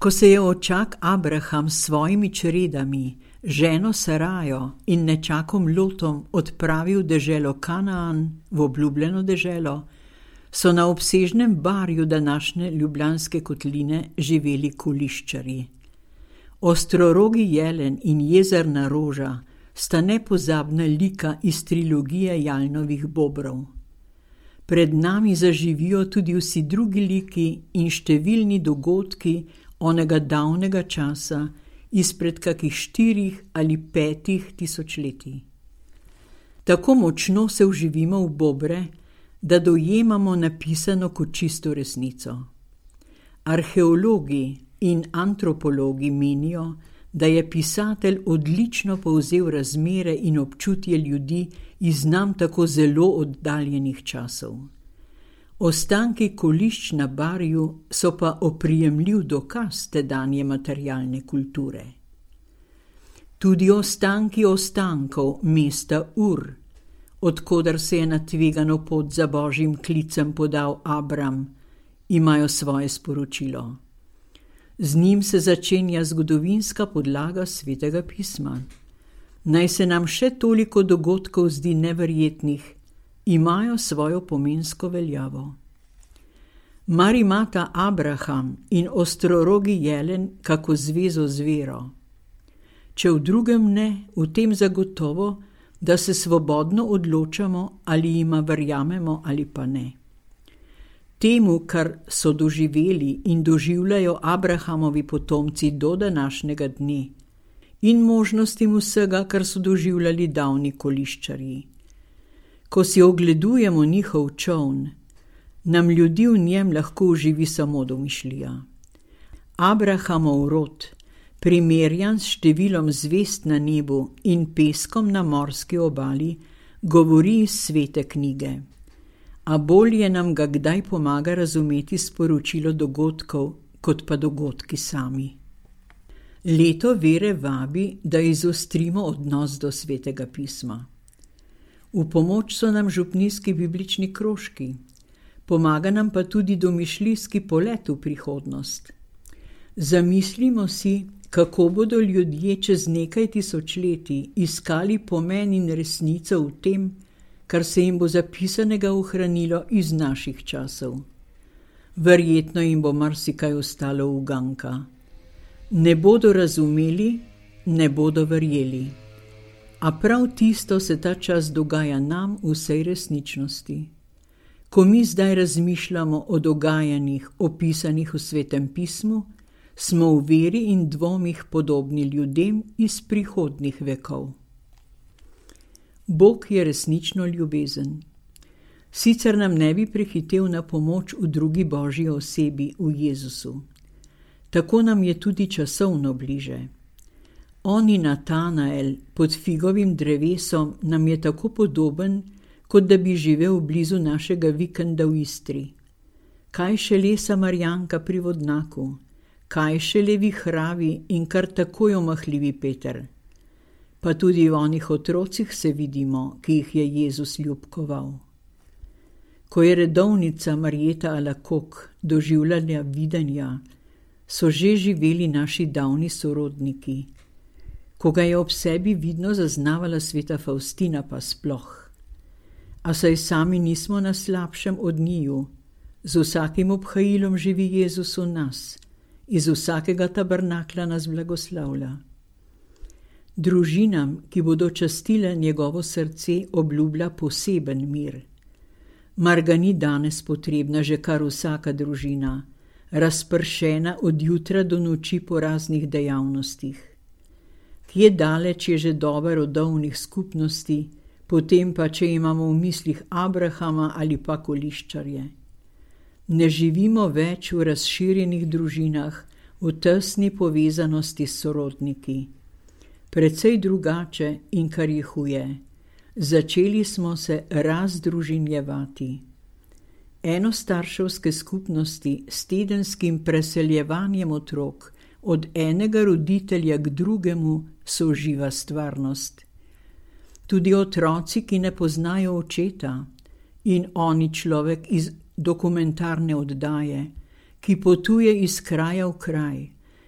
Ko se je očak Abraham s svojimi čredami, ženo Sarajo in nečakom Lotom odpravil v deželo Kanaan, v obljubljeno deželo, so na obsežnem barju današnje Ljubljanske kotline živeli koliščarji. Ostrorogi jelen in jezerna roža sta nepozabna lika iz trilogije Jalnovih bobrov. Pred nami zaživijo tudi vsi drugi liki in številni dogodki onega davnega časa izpred kakih 4 ali 5 tisočletij. Tako močno se vživimo v bobre, da dojemamo napisano kot čisto resnico. Arheologi in antropologi menijo, da je pisatelj odlično povzel razmere in občutje ljudi iz nam tako zelo oddaljenih časov. Ostanki kolišč na barju so pa oprijemljiv dokaz tedanje materialne kulture. Tudi ostanki ostankov mesta Ur, odkoder se je na tvegano pot za Božjim klicem podal Abram, imajo svoje sporočilo. Z njim se začenja zgodovinska podlaga Svetega pisma. Naj se nam še toliko dogodkov zdi neverjetnih, imajo svojo pomensko veljavo. Mar imata Abraham in ostrorogi jelen kako zvezo z vero? Če v drugem ne, v tem zagotovo, da se svobodno odločamo, ali jima verjamemo ali pa ne. Temu, kar so doživeli in doživljajo Abrahamovi potomci do današnjega dne, in možnostim vsega, kar so doživljali davni koliščarji. Ko si ogledujemo njihov čoln, nam ljudi v njem lahko uživi samo domišljija. Abrahamov rod, primerjan s številom zvezd na nebu in peskom na morski obali, govori iz svete knjige. A bolje nam ga kdaj pomaga razumeti sporočilo dogodkov, kot pa dogodki sami. Leto vere vabi, da izostrimo odnos do Svetega pisma. V pomoč so nam župnijski biblični krožki, pomaga nam pa tudi domišljijski polet v prihodnost. Zamislimo si, kako bodo ljudje čez nekaj tisočletij iskali pomen in resnico v tem, kar se jim bo zapisanega ohranilo iz naših časov. Verjetno jim bo marsikaj ostalo uganka. Ne bodo razumeli, ne bodo verjeli. A prav tisto se ta čas dogaja nam v vsej resničnosti. Ko mi zdaj razmišljamo o dogajanjih, opisanih v Svetem pismu, smo v veri in dvomih podobni ljudem iz prihodnjih vekov. Bog je resnično ljubezen. Sicer nam ne bi prehitel na pomoč v drugi Božji osebi, v Jezusu. Tako nam je tudi časovno bliže. On in Natanael pod figovim drevesom nam je tako podoben, kot da bi živel blizu našega vikenda v Istri. Kaj šele Samarjanka pri vodnaku, kaj šele vihravi in kar takoj omahljivi Peter. Pa tudi v onih otrocih se vidimo, ki jih je Jezus ljubkoval. Ko je redovnica Marjeta Alakok doživljala videnja, so že živeli naši davni sorodniki. Ko ga je ob sebi vidno zaznavala sveta Faustina, pa sploh. A saj sami nismo na slabšem od njiju. Z vsakim obhajilom živi Jezus v nas. Iz vsakega tabernakla nas blagoslavlja. Družinam, ki bodo častile njegovo srce, obljublja poseben mir. Mar ga ni danes potrebna že kar vsaka družina, razpršena od jutra do noči po raznih dejavnostih. Kje daleč je že doba rodovnih skupnosti, potem pa, če imamo v mislih Abrahama ali pa koliščarje. Ne živimo več v razširjenih družinah, v tesni povezanosti s sorodniki. Precej drugače in kar je huje. Začeli smo se razdružinjevati. Enostarševske skupnosti s tedenskim preseljevanjem otrok od enega roditelja k drugemu so živa stvarnost. Tudi otroci, ki ne poznajo očeta, in oni človek iz dokumentarne oddaje, ki potuje iz kraja v kraj,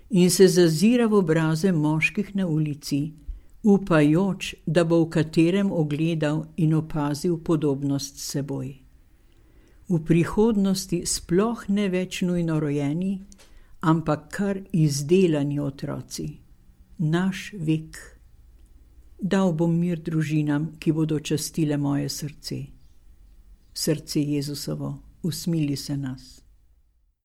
in se zazira v obraze moških na ulici, upajoč, da bo v katerem ogledal in opazil podobnost s seboj. V prihodnosti sploh ne več nujno rojeni, ampak kar izdelani otroci. Naš vek. Dal bom mir družinam, ki bodo častile moje srce. Srce Jezusovo, usmili se nas.